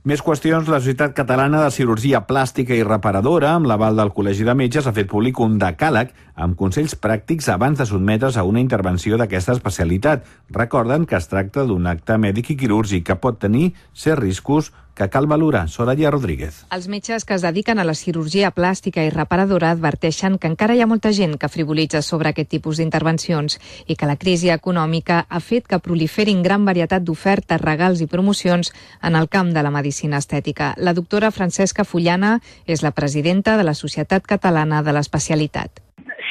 Més qüestions. La Societat Catalana de Cirurgia Plàstica i Reparadora, amb l'aval del Col·legi de Metges, ha fet públic un decàleg amb consells pràctics abans de sotmetre's a una intervenció d'aquesta especialitat. Recorden que es tracta d'un acte mèdic i quirúrgic que pot tenir certs riscos que cal valorar. Soraya Rodríguez. Els metges que es dediquen a la cirurgia plàstica i reparadora adverteixen que encara hi ha molta gent que frivolitza sobre aquest tipus d'intervencions i que la crisi econòmica ha fet que proliferin gran varietat d'ofertes, regals i promocions en el camp de la medicina estètica. La doctora Francesca Fullana és la presidenta de la Societat Catalana de l'Especialitat.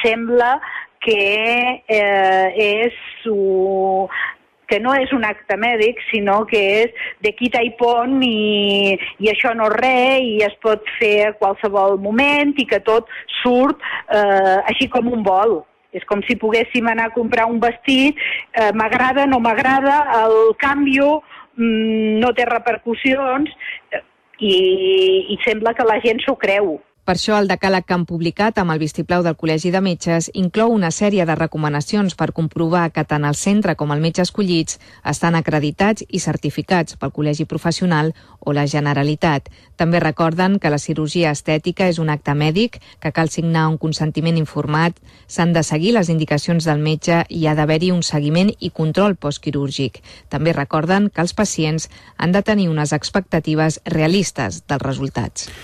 Sembla que que no és un acte mèdic, sinó que és de quita i pon i això no és res i es pot fer a qualsevol moment i que tot surt així com un vol. És com si poguéssim anar a comprar un vestit, m'agrada, no m'agrada, el canvio no té repercussions i sembla que la gent s'ho creu. Per això el decàleg que han publicat amb el vistiplau del Col·legi de Metges inclou una sèrie de recomanacions per comprovar que tant el centre com el metge escollits estan acreditats i certificats pel Col·legi Professional o la Generalitat. També recorden que la cirurgia estètica és un acte mèdic, que cal signar un consentiment informat, s'han de seguir les indicacions del metge i ha d'haver-hi un seguiment i control postquirúrgic. També recorden que els pacients han de tenir unes expectatives realistes dels resultats.